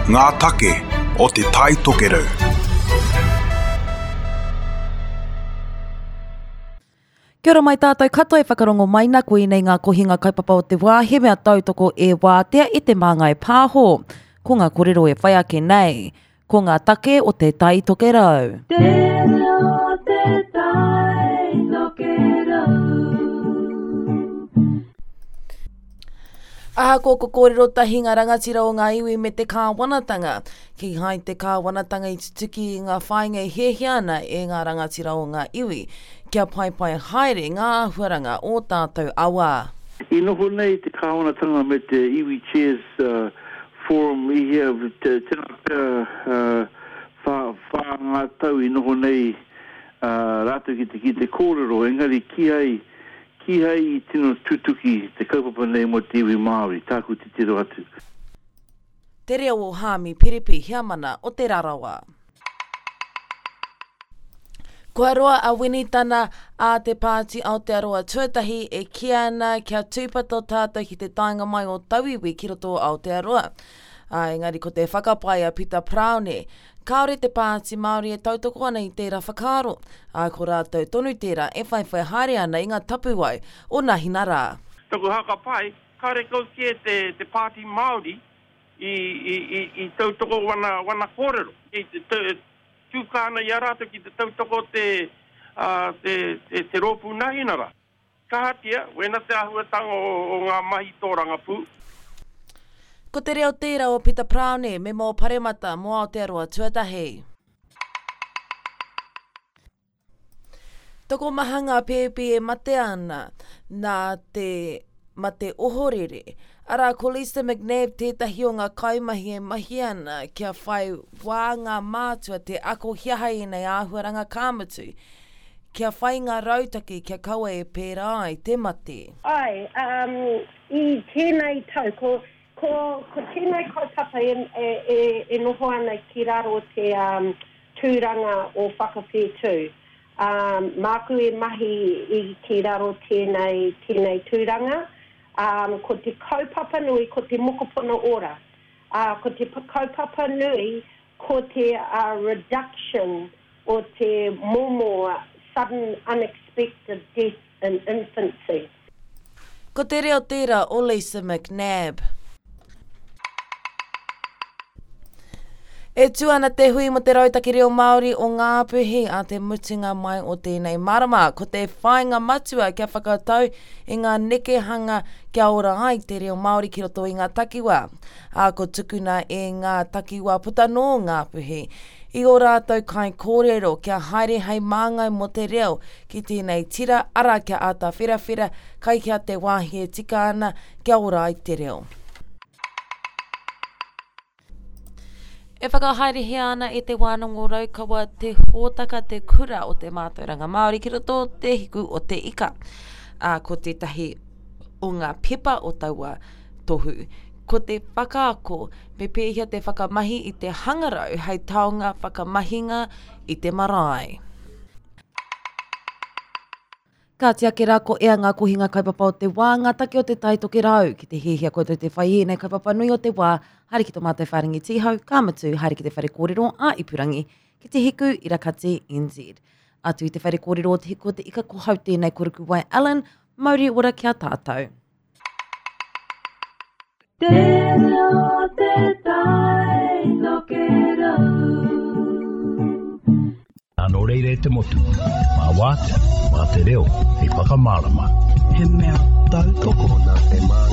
Ngā take o Te Tai Tokerau. Kia ora mai tātou katoa e whakarongo mai na koinei ngā kohinga kaupapa o te wā he mea tautoko e Wātea e Te Māngai Pāho. Ko ngā korero e whai ake nei, ko ngā take o Te Tai Tokerau. Te reo o te Tai Tokerau. Ahakoa ko kōrero tahi ngā rangatira o ngā iwi me te kāwanatanga, kīhai te kāwanatanga i tutuki i ngā whāinga e hiahia ana e ngā rangatira o ngā iwi, kia paepae haere ngā āhuaranga o tātou awa. I noho nei te kāwanatanga me te Iwi Chairs Forum i hea, tēnā pea whā ngā tau i noho nei rātou ki te kōrero, engari kīhai Kīhai i tino tutuki te kaupapa nei mō te iwi Māori, tāku titiro atu. Te reo o Haami Piripi Heamana o Te Rarawa. Kua roa a Winitana a te Pāti Aotearoa Tuatahi e kī ana kia tūpato tātou ki te taenga mai o tauiwi ki roto o Aotearoa. Ā, engari ko te whakapae a Pita Paraone, kāore te Pāti Māori e tautoko ana i tērā whakaaro, ā, ko rātou tonu tērā e whaiwhai haere ana i ngā tapuwae o nahina rā. Taku hakapae, karekau kē te Pāti Māori i tautoko wana kōrero. Kei te tūka ana i a rātou ki te tautoko te, te, te, te rōpū Nahinara. Kahatia, wena te āhuatanga o, o ngā mahi tōrangapū. Ko te reo tērā o Pita Paraone, mema o Paremata mō Aotearoa Tuatahi. Tokomaha ngā pēpi e mate ana nā te mate ohorere. Arā, ko Lisa McNab tētahi o ngā kaimahi e mahi ana kia whai wā ngā mātua te ako he aha ēnei āhuaranga ka mutu, kia whai ngā rautaki kia kaua e pērā ai te mate. Āe, um, i tēnei tau, ko, ko, ko tēnei kaupapa e, e, e, e noho ana ki raro te, um, tūranga o Whakawhetū. Ā, māku e mahi i ki raro tēnei, tēnei tūranga. Ā, ko te kaupapa nui ko te mokopuna ora. Ā, ko te kaupapa nui ko te reduction o te momo sudden unexpected death in infancy. Ko te reo tērā o Lisa McNab. E tū ana te hui mō te Rautaki Reo Māori o Ngāpuhi a te mutunga mai o tēnei marama. Ko te whāinga matua kia whakatau i ngā nekehanga kia ora ai te reo Māori ki roto i ngā takiwā. Ā, ko tukuna e ngā takiwā puta nō Ngāpuhi i ō rātou kaikōrero kia haere hei māngai mō te reo ki tēnei tira, arā kia āta wherawhera kai hea te wāhi e tika ana kia ora ai te reo. E whakahaerehia ana e Te Wānanga o Raukawa te hōtaka Te Kura o te Mātauranga Māori ki roto o Te Hiku o Te Ika. Ā, ko tētahi o ngā pepa o taua tohu, ko te whakaako me pēhea te whakamahi i te hangarau hei taonga whakamahinga i te marae. Kāti ake rā ko ea ngā kohinga kaupapa o te wā, ngā take o te Tai Tokerau. Ki te hiahia koutou te whai i ēnei kaupapa nui o te wā, haere ki tō mātou whārangi tīhau, ka mutu, haere ki te whare kōrero ā-ipurangi, ki te Hiku Irakati NZ. Atu i te whare kōrero o Te Hiku o te Ika ko hau tēnei ko Rukuwai Allen, mauri ora ki a tātou. Te reo o te tai tokerau. Nō reira e te motu, mā Wātea, mā te reo hei whakamārama. He mea tautoko. Nā te mā.